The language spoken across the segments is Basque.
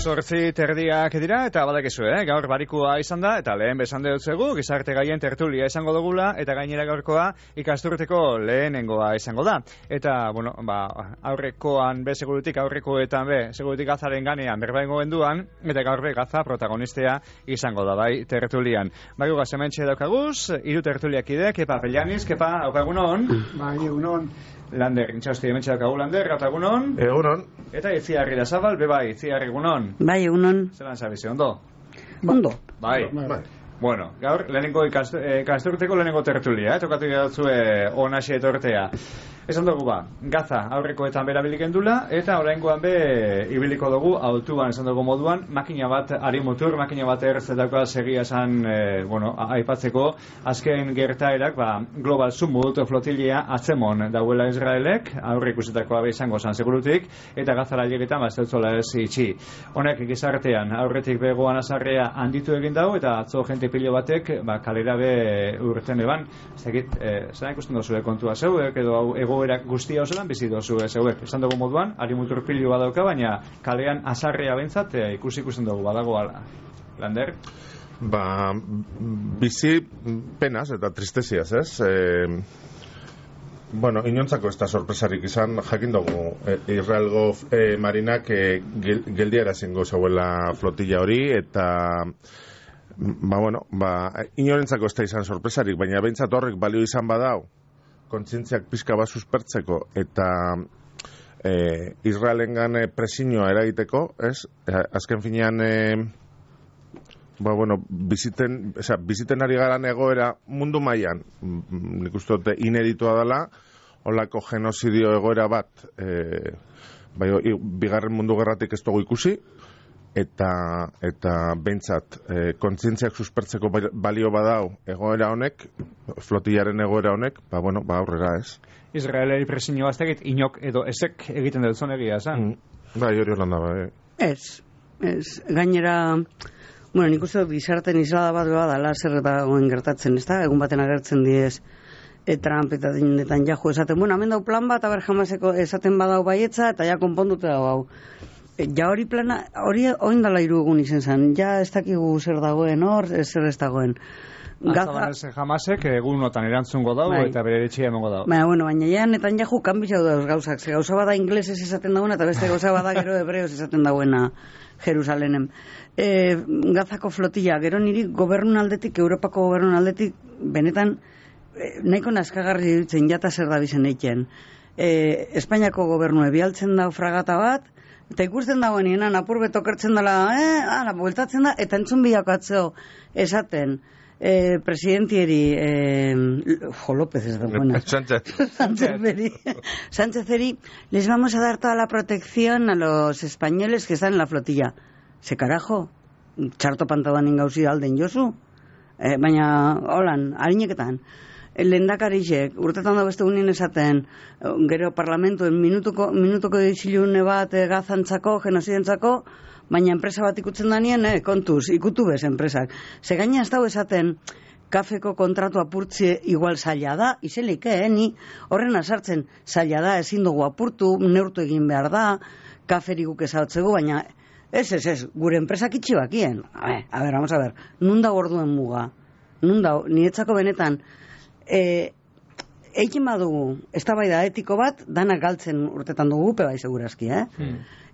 8:30 dira eta badakizu, gaur barikua izan da eta lehen besan dutzegu gizarte gaien tertulia izango dugula eta gainera gaurkoa ikasturteko lehenengoa izango da. Eta, bueno, aurrekoan be segurutik aurrekoetan be segurutik Gazaren ganean berbaingo genduan eta gaur be Gaza protagonistea izango da bai tertulian. Bai gaz hementxe daukaguz, hiru tertuliakide, Kepa Pellaniz, Kepa, egunon. Bai, egunon. Lander, intxausti hementxe daukagu Lander, eta egunon. Egunon. Eta Itziar Irazabal, bai, Itziar egunon. Bai, egunon. Zelan zabize, ondo? Ondo. Bai. Bueno, gaur, lehenengo ikasturteko lehenengo tertulia, tokatu gauzue onaxe etortea. Esan dugu Gaza aurrekoetan berabilik gendula, eta oraingoan be ibiliko dugu autuan esan dugu moduan, makina bat arimutur, makina bat erzetako segia esan, aipatzeko, azken gertaerak, Global Summit flotilia atzemon dauela Israelek, aurre ikusitakoa be izango zan segurutik, eta Gazara llegetan bazteutzola ez itxi. Honek gizartean aurretik begoan azarrea handitu egin dago, eta atzo jente pilo batek, kalera be urten eban, ez dakit, zara ikusten dozue kontua zeuek, edo egoerak guztia osoan bizi dozu zeuek. Esan dugu moduan, arimutur pilo badauka, baina kalean azarrea bentzat ikusten dugu badago ala. Lander? Bizi penaz eta tristeziaz, ez? Inontzako ez da sorpresarik izan, jakin dugu Israelgo marinak geldiara zingo zeuela flotilla hori, eta inorentzako ez da izan sorpresarik, baina behintzat horrek balio izan badau, kontzientziak pixka bat suspertzeko eta Israelengan presioa eragiteko, ez? Azken finean biziten ari garan egoera mundu mailan, nik uste dute ineditua dela, holako genozidio egoera bat bigarren mundu gerratik ez dugu ikusi, eta behintzat kontzientziak suspertzeko balio badau egoera honek, flotillaren egoera honek, aurrera ez. Israeleri presioa ez egit inok edo ezek egiten dut zon egia, zan? Hori holanda Ez, gainera, nik uste gizarten islada bat dela zer dagoen gertatzen, ez da? Egun baten agertzen diez Trump eta Netanyahu esaten, hemen dau plan bat, jamaseko esaten badau baietza, eta ja konpondute hau. Ja hori plana, hori oindala 3 egun izen zen, ja ez dakigu zer dagoen hor, zer ez dagoen. Gaza jamasek egunotan erantzungo dago eta bere etxea emango dago. Baina ja Netanyahu kanbitxau dauz gauzak, ze gauza bada inglesez esaten dagoena, eta beste gauza bada gero hebreoz esaten dagoena Jerusalenem. Gazako flotilla, gero niri gobernun aldetik, Europako gobernun aldetik, benetan, nahiko naskagarri dutzen jata zer da bizen eiken. Espainiako gobernue bialtzen dau fragata bat, eta ikusten dagoenean apur beto kertzen dela, bueltatzen da, eta entzun bilakatzeo esaten presidentieri López ez da buena Sánchezeri les vamos a dar toda la protección a los españoles que están en la flotilla. Se carajo, txarto pantaban ingauzi alden jozu, baina holan, harineketan lehendakarisek, urtetan da beste unien esaten, gero parlamentuen minutuko ditxilune bat gazantzako, genozidentzako, baina enpresa bat ikutzen danien, kontuz, ikutu bez enpresak. Ze gaina ez dago esaten, kafeko kontratu apurtzie igual zaila da, izelik, ni horren azartzen zaila da, ezin dugu apurtu, neurtu egin behar da, kaferi guk ezagutzegu, baina ez, gure enpresak itxi bakien. Vamos a ver, nun da orduen muga? Nun da, niretzako benetan, eikin badugu, eztabaida etiko bat, danak galtzen urtetan dugu, bai segurazki,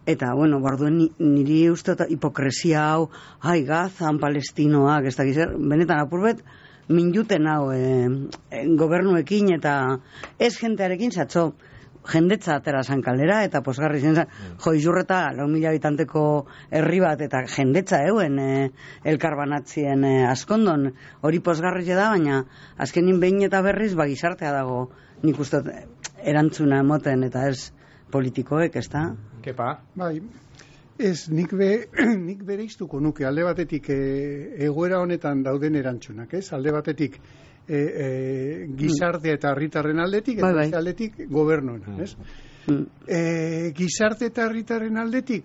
Eta, barduen niri uste hipokresia hau, Gazan, palestinoak, ez dakiz, benetan apurbet, minjuten hau gobernuekin eta ez jentearekin zatzo, jendetza atera zan kalera, eta posgarri zen izurreta 4.000 habitanteko herri bat, eta jendetza elkarbanatzien askondon, hori posgarri da, baina azkenin behin eta berriz gizartea dago, nik uste erantzuna emoten, eta ez politikoek, ez da? Kepa? Bai, ez, nik bere iztuko nuke, alde batetik egoera honetan dauden erantzunak, ez? Alde batetik gizarte eta herritarren aldetik, eta beste aldetik gobernuena, ez? Gizarte eta herritarren aldetik,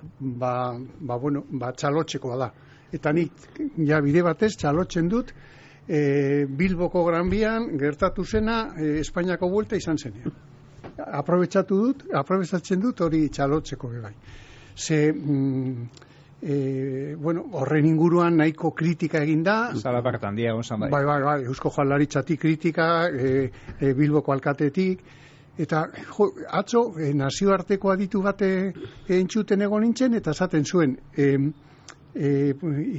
txalotxekoa da. Eta nik, bide batez, txalotzen dut, Bilboko Gran Bian gertatu zena Espainiako buelta izan zenean. Aprobetxatzen dut hori txalotzeko bai. Ze bueno, horren inguruan nahiko kritika egin da. Zalapartan dia egon zan bai. Bai, Eusko Jaurlaritzatik kritika, Bilboko alkatetik, eta atzo nazioarteko aditu bate entzuten egon nintzen, eta esaten zuen,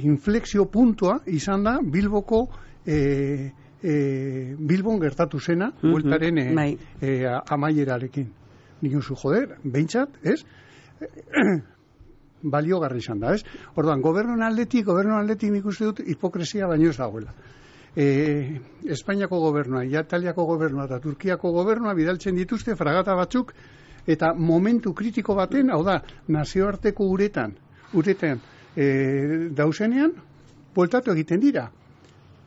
inflexio puntua izan da Bilboko Bilbon gertatu zena, bueltaren amaierarekin. Nik usu, joder, behintzat, ez? Baliogarri izan da, ez? Orduan, gobernuan aldetik nik uste dut hipokresia baino ez dagoela. Espainiako gobernua, Italiako gobernua eta Turkiako gobernua bidaltzen dituzte fragata batzuk, eta momentu kritiko baten, hau da, nazioarteko uretan dauzenean, bueltatu egiten dira.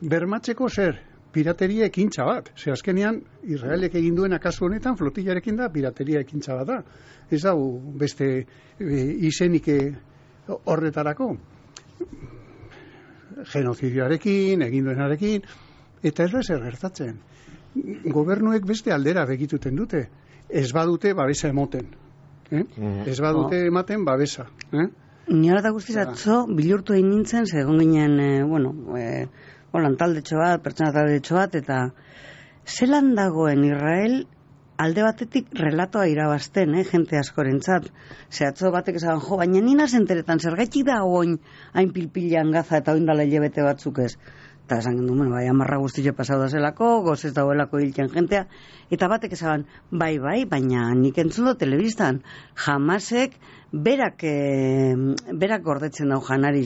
Bermatzeko zer? Pirateria ekintza bat. Ze azkenean, Israelek egin duena kasu honetan, flotillarekin da, pirateria ekintza bat da. Ez da, beste izenik horretarako. Genozidioarekin, egin duenarekin, eta ez da zer gertatzen. Gobernuek beste aldera begituten dute. Ez badute babesa emoten. Ez badute ematen babesa. Niola eta guztiz atzo, bilurtu egin nintzen, segon ginen, holan taldetxo bat, pertsona taldetxo bat, eta zelan dagoen Israel alde batetik relatoa irabazten, jente askorentzat. Ze atzo batek esan, baina nina zenteretan, zergaitik da oin hain pilpilean Gaza eta oindala hilabete batzuk ez. Eta esan gendu, bai, amarra guztitxe pasau da zelako, gozez dagoelako hiltzen jentea, eta batek esan, bai, baina nik entzun do telebistan, Hamasek berak gordetzen dau janari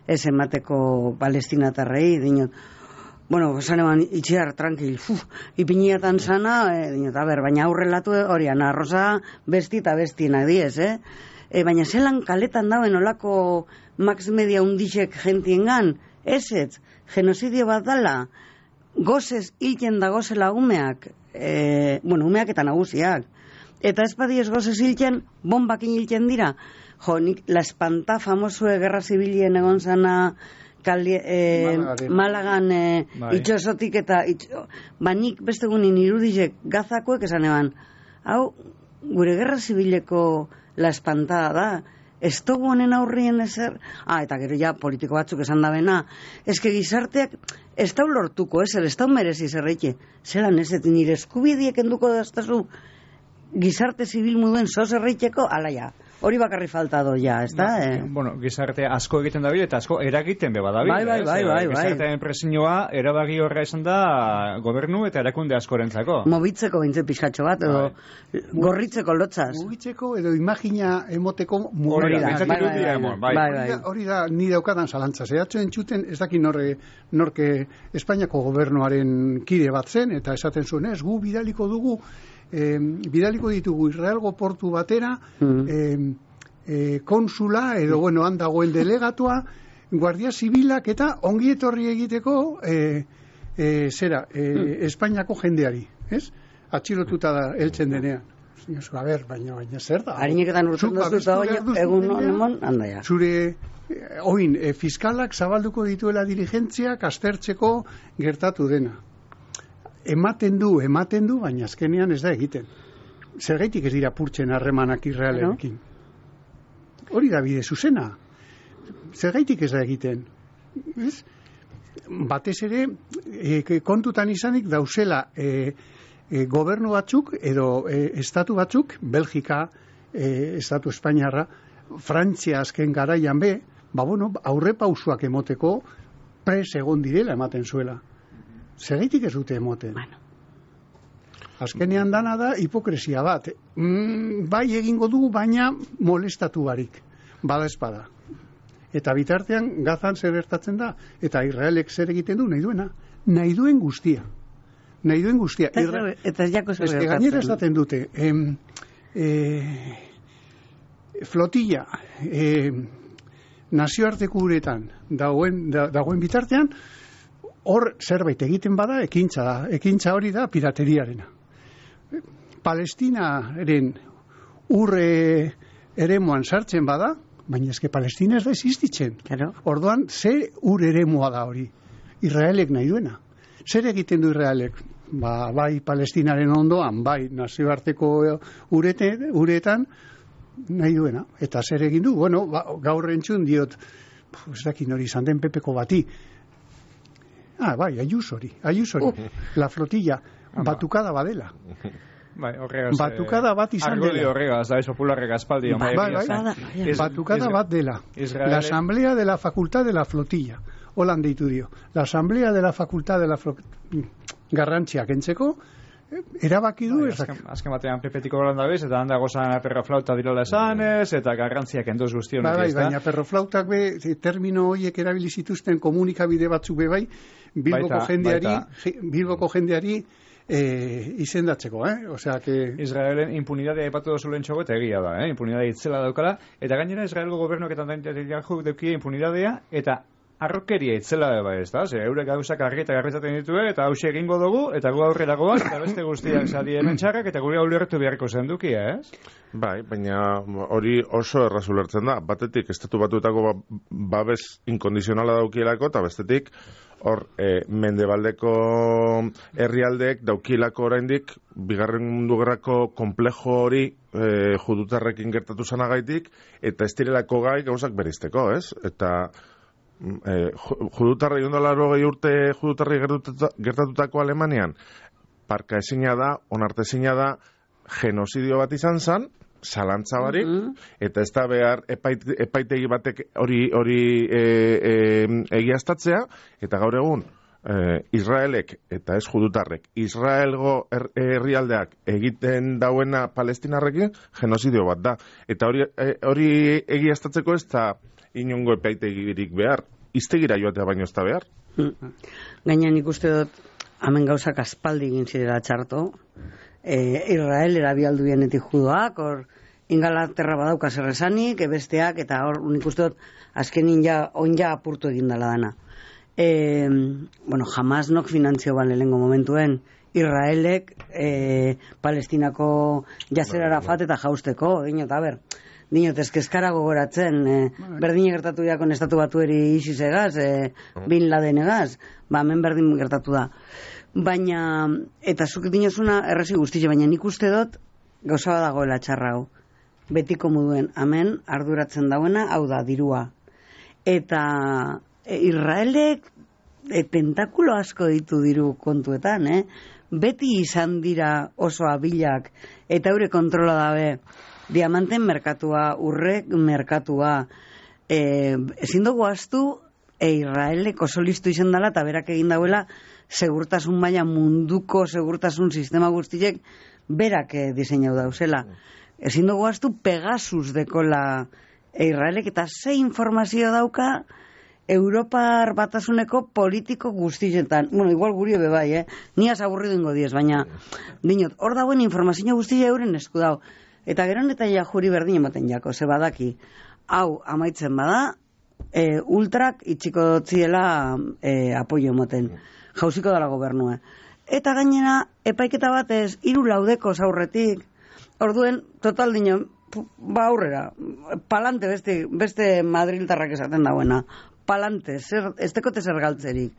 ez emateko palestinatarrei, dinot, bueno, esan eman itxiar, tranquil, ipiniatan sana, dinot, baina aurrelatu horian, arroza besti eta bestienak diez, baina zelan kaletan dauen olako max media undixek gentiengan, ez, genozidio bat dala, gozez hilten da gozela umeak, umeak eta nagusiak, eta ez badiez gozez hilten, bombakin hilten dira. Nik, la espanta famosue gerra zibilien egon zana Malagan itxosotik eta nik beste gunin irudizek Gazakoek esan eban, hau, gure gerra zibileko la espantada da, ez dugu honen aurrien ezer, eta gero ja politiko batzuk esan da bena, eske gizarteak ez da lortuko ezer, ez da merezi zerreike, zelan ez, nire eskubidiek enduko daztazu gizarte zibil muduen zozerreiteko, ala ja, hori bakarri falta doia, ez da? Bueno, gizarte asko egiten dabil eta asko eragiten beba dabil. Bai. Gizartearen presioa erabaki horra esan da gobernu eta erakunde askorentzako. Mobitzeko bintze pixatxo bat, edo gorritzeko lotzaz. Mobitzeko edo imagina emoteko hori da, ni daukadan zalantza. Zehatxo entzuten, ez daki norke Espainiako gobernuaren kide bat zen, eta esaten zuen, ez, gu bidaliko ditugu Israelgo portu batera konsula edo han dagoen delegatua, guardia zibilak eta ongi etorri egiteko Espainiako jendeari, ez? Atxilotuta da heltzen denean. Baina zer da? Harineketan urtzen dozu eta egun honemon, handaia. Zure fiskalak zabalduko dituela dirigentziak aztertzeko gertatu dena. Ematen du, baina azkenean ez da egiten. Zergaitik ez dira purtzen harremanak Israelekin. Hori da bide zuzena. Zergaitik ez da egiten. Ez? Batez ere, kontutan izanik dauzela gobernu batzuk edo estatu batzuk, Belgika, estatu Espainiarra, Frantzia azken garaian aurre pausuak emoteko pres egon direla ematen zuela. Zergaitik ez dute emoten. Azkenean dana da hipokresia bat. Bai egingo dugu, baina molestatu barik. Bada espada. Eta bitartean Gazan zer gertatzen da. Eta Israelek zer egiten du, nahi duena. Nahi duen guztia. Eta ez jako zer gertatzen. Gainera esaten dute. Flotilla nazioarteko uretan dagoen bitartean, hor zerbait egiten bada, ekintza da. Ekintza hori da pirateriarena. Palestinaren urre eremuan sartzen bada, baina eske Palestina ez da existitzen. Claro. Orduan, ze ur eremua da hori? Israelek nahi duena. Zer egiten du Israelek? Bai Palestinaren ondoan, bai nazioarteko uretan, nahi duena. Eta zer egin du? Bueno, gaur entzun diot, ez dakin hori izan den Pepeko bati. Bai, Ayusori. La flotilla, batukada badela. Bai, horregaz... Batukada bat izan dela. Argudio horregaz, da, popularrek aspaldi. Batukada bat dela. La asamblea de la facultad de la flotilla. Holan deitu dio. La asamblea de la facultad de la flotilla. Garrantziak entzeko, erabaki du azken batean pepetiko golanda bez, eta handa gozan perroflauta dirola esanez, eta garrantziak enduz guztionek. Baina perroflautak termino horiek erabili zituzten komunikabide batzuk bai, Bilboko jendeari izendatzeko, Osea, que... Israelen impunidadea ipatu dozu lehen txogo, eta egia da, impunidadea itzela daukala, eta gainera Israelgo gobernuak eta deukia impunidadea, eta arrokeria itzela bai, ez da? Eurek gauzak argitatzen ditue, eta hause egingo dugu, eta gu aurrera goaz, eta beste guztiak zadi hemen txarrak, eta gure ulertu beharko zendukia, ez? Bai, baina hori oso erraz ulertzen da. Batetik, estatu batuetako babes inkondizionala daukielako, eta bestetik, hor, mendebaldeko herrialdeek daukielako oraindik, bigarren mundu gerrako komplejo hori judutarrekin gertatu zanagaitik, eta ez direlako gai gauzak berizteko, ez? Eta... judutarri urte judutarri gertatutako Alemanian parka ezina da, onartezina da genozidio bat izan zan, zalantza barik, eta ez da behar epaitegi batek hori egiaztatzea, eta gaur egun Israelek eta ez judutarrek Israelgo herrialdeak egiten dauena palestinarrekin genozidio bat da, eta hori egiaztatzeko ez da inongo epaitegirik behar, iztegira joatea baino ez da behar. Gaina nik uste dut, hemen gauzak aspaldi egin zirela txarto, Israel erabialdu bienetik judoak, hor Ingalaterra badauka zerrezanik, besteak, eta hor nik uste dut, azkenin onja apurtu egin dela dana. Jamás nok finantzio bale lehenko momentuen, Israelek Palestinako Yasser Arafat eta jausteko, dinot, ezkezkara gogoratzen, berdin gertatu jakon estatu batueri isizegaz, Bin Ladenegaz, hemen berdin gertatu da. Baina, eta zuk dinozuna errezi guztize, baina nik uste dut gauza badagoela txarra hau. Betiko moduen, hemen arduratzen dauena, hau da, dirua. Eta Israelek tentakulo asko ditu diru kontuetan, beti izan dira oso abilak, eta eure kontrola dabe, diamanten merkatua, urrek merkatua, ezin dugu astu, Israelek oso listu izan dela, eta berak egin dauela, segurtasun maila munduko segurtasun sistema guztiek, berak diseinau dauzela. Ezin dugu astu, Pegasus dekola Israelek, eta ze informazio dauka, Europar batasuneko politiko guztietan. Igual guri ebe bai, ni aburridu ingo diez, baina, dinot, hor dagoen informazio guztia euren esku dau. Eta gero eta juri berdin ematen jako, ze badaki, hau amaitzen bada, ultrak itxiko ziela apoio emoten. Jauziko dala gobernua. Eta gainera, epaiketa batez, 3 laudeko aurretik, orduen, total dino, aurrera, palante beste madriltarrak esaten dagoena, palante, ez tekote zer galtzerik.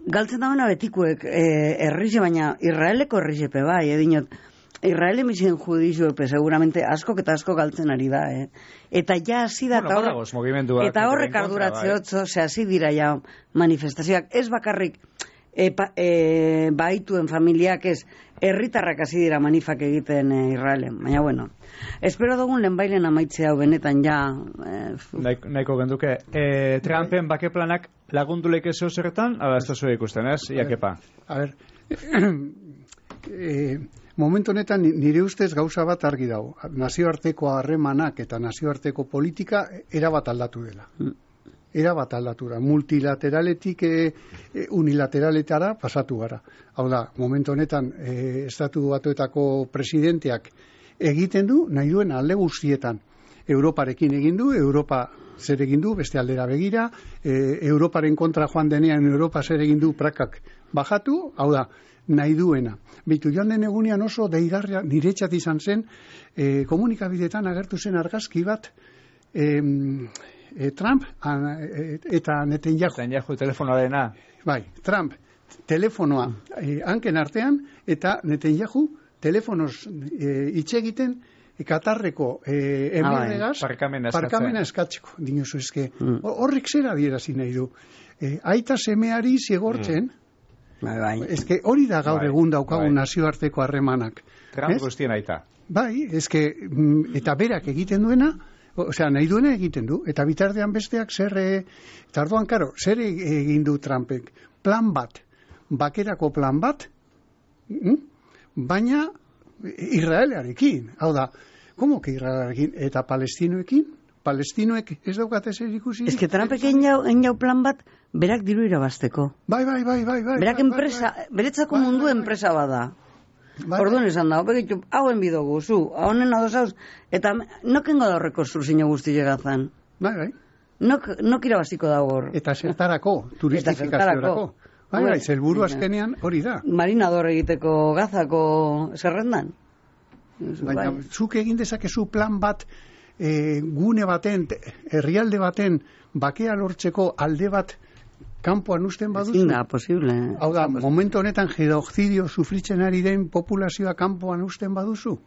Galtzen dagoena betikuek errixe, baina Israeleko errixepe bai, dinot, Israel emizien judizio seguramente asko eta asko galtzen ari da, Eta ja hasi da, eta horrek arduratzeotzo, hasi dira ja manifestazioak, ez bakarrik baituen familiak, ez herritarrak hasi dira manifak egiten Israelen, baina bueno, espero dugun lehenbailen amaitzea hau benetan ja... Nahiko genduke, Trumpen bakeplanak lagunduleik ez zerretan, ala ez da zure ikusten, ez? Iakepa. A ver, momentu honetan nire ustez gauza bat argi dago. Nazioarteko harremanak eta nazioarteko politika erabat aldatu dela. Erabat aldatu da. Multilateraletik unilateraletara pasatu gara. Hau da, momentu honetan estatu batuetako presidenteak egiten du, nahi duen alde guztietan. Europarekin egin du, Europa zer egin du, beste aldera begira, Europaren kontra joan denean Europa zer egin du prakak bajatu, hau da, nahi duena. Bitu, joan den egunean oso deigarria niretzat izan zen, komunikabidetan agertu zen argazki bat, Trump eta Netanyahu. Netanyahu telefonoarena. Bai, Trump telefonoa hanken artean, eta Netanyahu telefonoz hitz egiten Katarreko emirregaz Barkamena eskatzeko. Dinosu, eske, horrek zera adierazi nahi du. Aita semeari zigortzen, eske hori da gaur egun daukagun nazioarteko harremanak. Trump guztien aita. Bai, eske, eta berak egiten duena, osea, nahi duena egiten du, eta bitartean besteak eta orduan, karo, zer egin du Trumpek? Plan bat, bakerako plan bat, baina Israelarekin, hau da, ¿cómo que Israelarekin? Eta Palestinoekin? Palestinoek ez daukate zer ikusi? Ez que Trumpek enjau plan bat, berak diru irabazteko. Bai. Berak enpresa, beretzako mundu enpresa bada. Orduan esan da, opegitu, hauen bidogu, zu, haunen adosauz, eta nokengo da horreko zurzino guzti llegazan. Bai. Nok irabaziko da hor. Eta zertarako, turistifikaziorako. Bai, zelburu azkenean hori da. Marinador egiteko Gazako zerrendan. Baina, zuk egin dezakezu plan bat, gune baten, herrialde baten, bakea lortzeko alde bat kanpoan usten baduzu. Ezin da, posible. Hau da, momentu honetan genozidio sufritzen ari den populazioa kanpoan usten baduzu.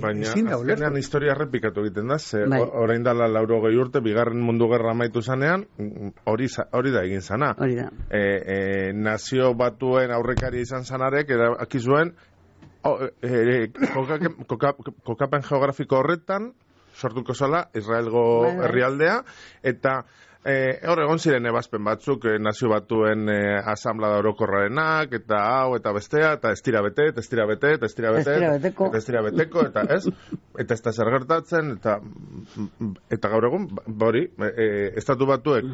Baina azkenean historia errepikatu egiten da, orain dala 80 urte, bigarren mundu gerra amaitu zanean, hori da egin zana. Hori da. Nazio batuen aurrekari izan zanarek, erabaki zuen, kokapen geografiko horretan, sortuko zala, Israelgo herrialdea, eta hor egon ziren ebazpen batzuk, nazio batuen asamblea orokorrarenak, eta hau, eta bestea, eta ez tira bete, eta ez tira bete, eta ez tira bete, eta ez tira beteko, eta ez, eta ez da zer gertatzen, eta gaur egun, hori, estatu batuek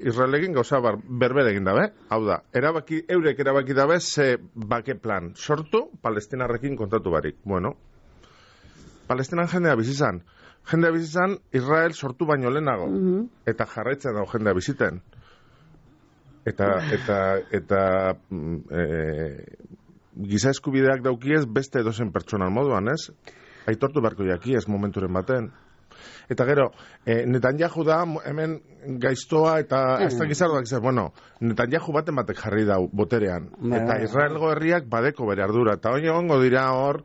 Israelekin gauza berbere egin dabe, hau da, eurek erabaki dabe, ze bake plan sortu, Palestinarrekin kontatu barik. Bueno, Palestinan jendea bizizan, Israel sortu baino lehenago, eta jarraitzen dago jendea biziten. Eta giza eskubideak daukiez beste edozen pertsonan moduan, ez? Aitortu beharko jaki ez momenturen baten. Eta gero, Netanyahu da hemen gaiztoa eta ez da gizardoak izan, bueno, Netanyahu baten batek jarri dau boterean. Eta Israelgo herriak badeko bere ardura. Eta hori egongo dira hor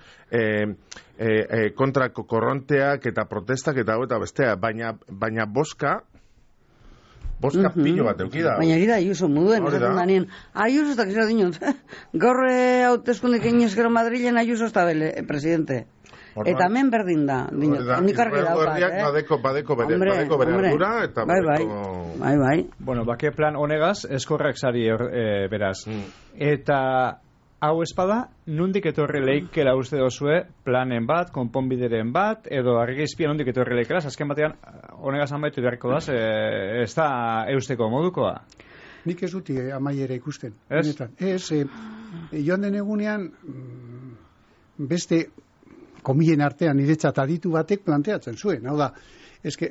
kontrako korronteak eta protestak eta hau eta bestea. Baina boska pilo bat eukida. Baina gira Ayuso muduen, esaten danien. Ayuso ez da kizera dinot. Gaur hauteskundik egin Madrilen Ayuso ez da bele, presidente. Eta hemen berdin da. Nik argi daukat, badeko bere ardura eta bai. Bueno, bake plan honegaz, eskorrak sari beraz. Eta hau espada, nundik etorri leikela uste dozue planen bat, konponbideren bat, edo argizpia nundik etorri leikela, azken batean honegaz amaitu beharko daz, ez da eusteko modukoa. Nik ez duti amaiera ikusten. Ez? Joan den egunean, beste komilen artean niretzat aditu batek planteatzen zuen. Hau da,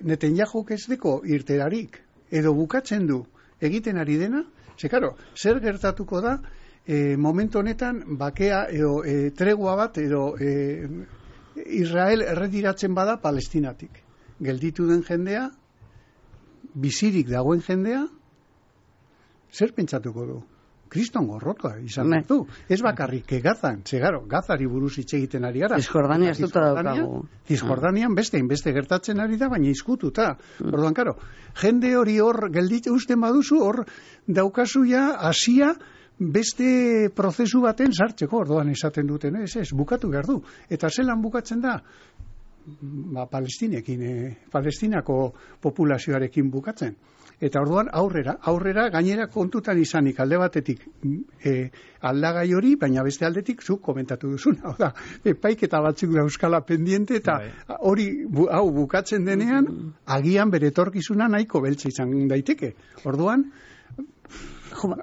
Netanyahuk ez deko irterarik, edo bukatzen du egiten ari dena, zer gertatuko da, momentu honetan bakea edo tregua bat edo Israel erretiratzen bada Palestinatik. Gelditu den jendea, bizirik dagoen jendea, zer pentsatuko du? Kriston gorrotua izan du. Ez bakarrik Gazan, Gazari buruz hitz egiten ari gara. Cisjordania ez duta daukagu. Cisjordanian beste gertatzen ari da, baina izkututa. Orduan, karo, jende hori hor gelditu usten baduzu, hor daukazu ja Asia beste prozesu baten sartzeko, orduan esaten duten, ez, bukatu behar du. Eta zelan bukatzen da? Palestinako populazioarekin bukatzen. Eta orduan aurrera gainera kontutan izanik alde batetik aldagai hori, baina beste aldetik zuk komentatu duzun. Hau da, epaiketa batzuk da euskala pendiente, eta hori hau bukatzen denean, agian bere etorkizuna nahiko beltza izan daiteke. Orduan,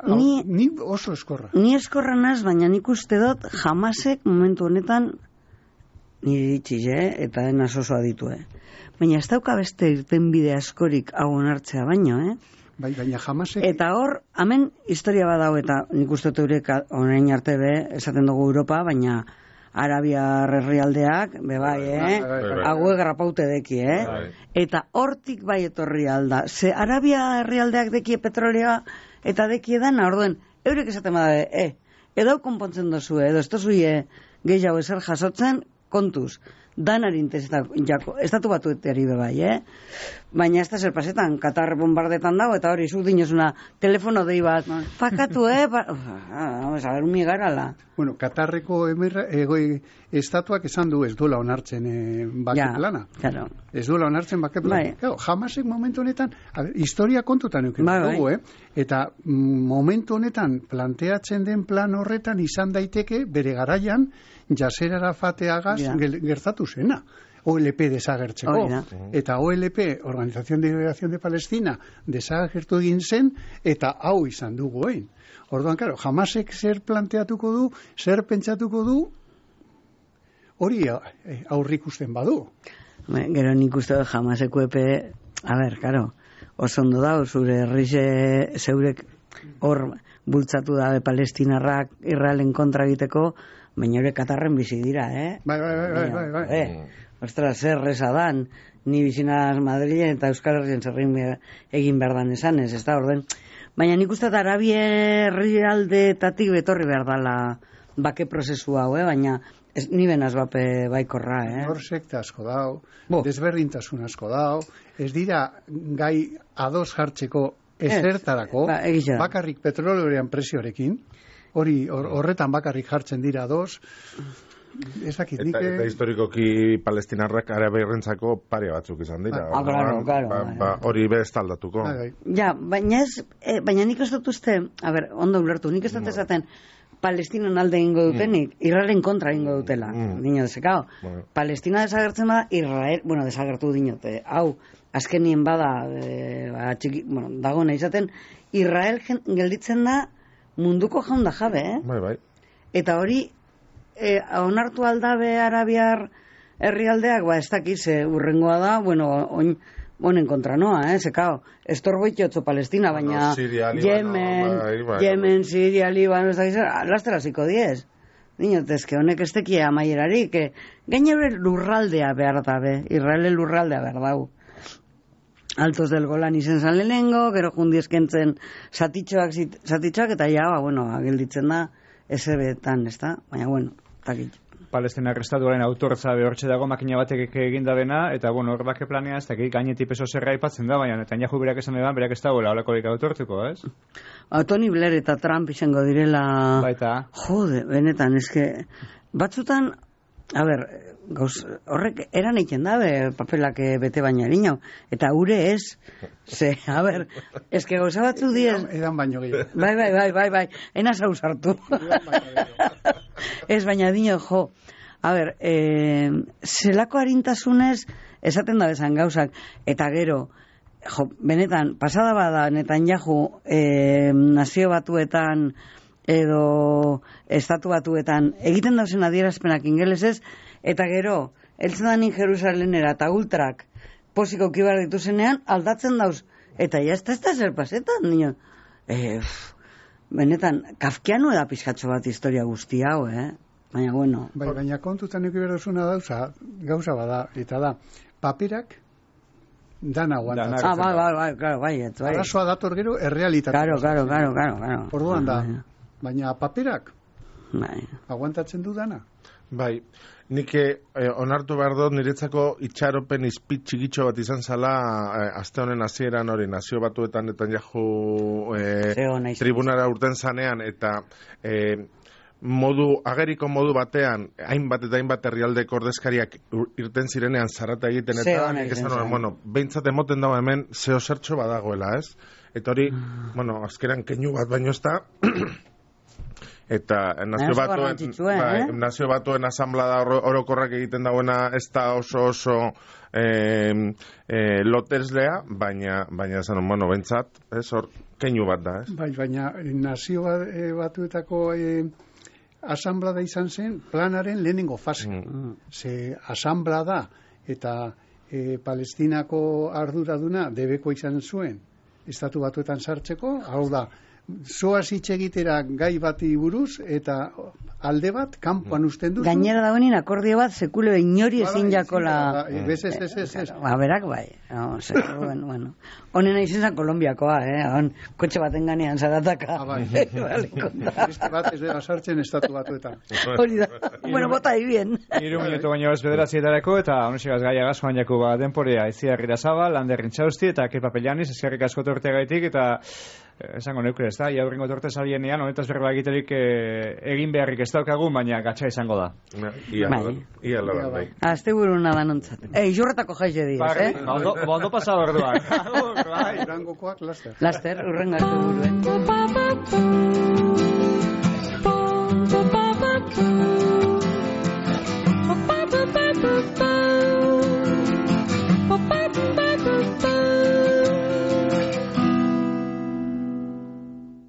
ni oso eskorra. Ni eskorra naz, baina nik uste dut Hamasek momentu honetan nire ditxiz, eta enaz oso aditue. Baina ez dauka beste irtenbide askorik hau onartzea baino, Baina Hamasek... Eta hor, hemen historia badau, eta nik uste dut eurek orain arte esaten dugu Europa, baina Arabiar herrialdeak, hague grapaute deki, Eta hortik bai etorri alda. Ze Arabia herrialdeak deki petrolea eta deki edan, orduen, eurek esaten bada, edo konpontzen dozu, edo ez dozu gehiago ezer jasotzen, kontuz, danari estatu batuetari bebai, baina ez da zer pasetan, Katar bombardetan dago, eta hori zuk dinozuna telefono dei bat, fakatu, vamos a ver, umi garala. Bueno, Katarreko estatuak esan du ez duela onartzen bake plana. Claro. Ez duela onartzen bake plana. Claro, Hamasek momentu honetan, historia kontutan euken dugu, eta momentu honetan planteatzen den plan horretan izan daiteke bere garaian Yasser Arafateagaz gertatu zena. OLP desagertzeko. Eta OLP, Organización de Liberación de Palestina, desagertu egin zen, eta hau izan dugu egin. Orduan, claro, Hamasek zer planteatuko du, zer pentsatuko du, hori aurrikusten badu. Gero nik uste dut Hamaseko epe, claro, oso ondo da, zure herrize zeurek hor bultzatu dabe palestinarrak Israelen kontra egiteko, baina hori Katarren bizi dira, Bai. Ostras, zer reza dan, ni bizinaz Madrilen eta Euskal Herrien zerrin egin behar dan esanez, ez da, orden. Baina nik uste Arabia herrialdeetatik betorri behar dala bake prozesu hau, baina ni benaz bape baikorra, Hor sekta asko dau, desberdintasun asko dau, ez dira gai ados jartzeko ezertarako, bakarrik petroleorean presiorekin, horretan bakarrik jartzen dira ados, ezakit, eta historikoki palestinarrak araberrentzako pare batzuk izan dira. Hori bez taldatuko. Ja, baina nik ez dut uste, ondo ulertu, nik ez dut esaten Palestinan alde ingo dutenik, Israelen kontra ingo dutela. Dino desekao. Palestina desagertzen bada, Israel, desagertu dinote. Hau, azkenien bada, dago nahi izaten, Israel gelditzen da munduko jaunda jabe, Bai. Eta hori, onartu aldabe arabiar herrialdeak, ez dakiz, urrengoa da, honen kontra noa, zekao, estorboitiotzo Palestina, baina Yemen, Siria, Líbano, ez dakiz, lasteraziko diez. Dinotezke, honek ez tekie amaierarik, gainera lurraldea behar dabe, Israelen lurraldea behar dau. Altos del Golan izen zan lehenengo, gero jundieskentzen zatitxoak, eta gelditzen da, ezebetan, ez da? Baina, takit. Palestinar estatuaren autortza behortxe dago makina batek egin da dena, eta hor bake planea ez dakik gainetik peso zerra aipatzen da, baina Netanyahu berak esan edan, berak ez dagoela olakorik autortuko, ez? Tony Blair eta Trump izango direla... Baita. Jode, benetan, eske, batzutan, horrek eran eiken dabe papelak bete baina erino, eta ure ez, eske gauza batzu diez... Edan baino gehiago. Bai, enaz hau sartu. Ez baina dino, zelako harintasunez esaten da bezan gauzak, eta gero, benetan, pasada bada Netanyahu nazio batuetan edo estatu batuetan egiten dauzen adierazpenak ingelesez, eta gero, eltzen danin Jerusalenera eta ultrak posiko kibar dituzenean, aldatzen dauz, eta ez da zer pasetan, nio. Benetan, kafkiano da pizkatxo bat historia guzti hau, baina, baina kontutan eki berduzuna gauza bada, eta da, paperak dana aguantatzen. Bai. Arazoa dator gero, errealitatea. Claro. Orduan da, baina paperak aguantatzen du dana. Bai, nik onartu behar dut niretzako itxaropen izpit txigitxo bat izan zala aste honen hasieran hori nazio batuetan Netanyahu tribunara urten zanean, eta ageriko modu batean hainbat eta hainbat herrialdeko ordezkariak irten zirenean zarata egiten, eta behintzat emoten dago hemen zeo zertxo badagoela, ez? Eta hori, azkeran keinu bat baino ez da, eta nazio batuen asamblada orokorrak egiten dagoena ez da oso loteslea, baina bentsat, hor keinu bat da, ez? Baina nazio batuetako asamblada izan zen planaren lehenengo fase. Ze asamblada eta Palestinako arduraduna debeko izan zuen estatu batuetan sartzeko, hau da, zoaz hitz egitera gai bati buruz, eta alde bat, kanpoan usten duzu. Gainera dagoenin akordio bat, sekule inori ezin jakola... Ez. Berak bai. Bueno. Honena izan zen Kolombiakoa, hon, kotxe baten ganean zarataka. Beste bat ez dela sartzen estatu batuetan. Hori da. Bueno, bota bien. 3 minutu baino ez bederatzietarako, eta honesegaz gaia gazkoan jaku denporea Itziarrira Zabal, Lander Rintxausti, eta Kepa Pellaniz, eskerrik asko tortegaitik, eta esango neuke, ez da, iaurrengo torte salienean, honetaz berba egiterik egin beharrik ez daukagun, baina gatsa izango da. Ia laban, bai. Azte buruna banontzat. Jorretako jaize diaz, Ondo pasado orduan. Durangokoak laster. Laster, urrengo azte buruen.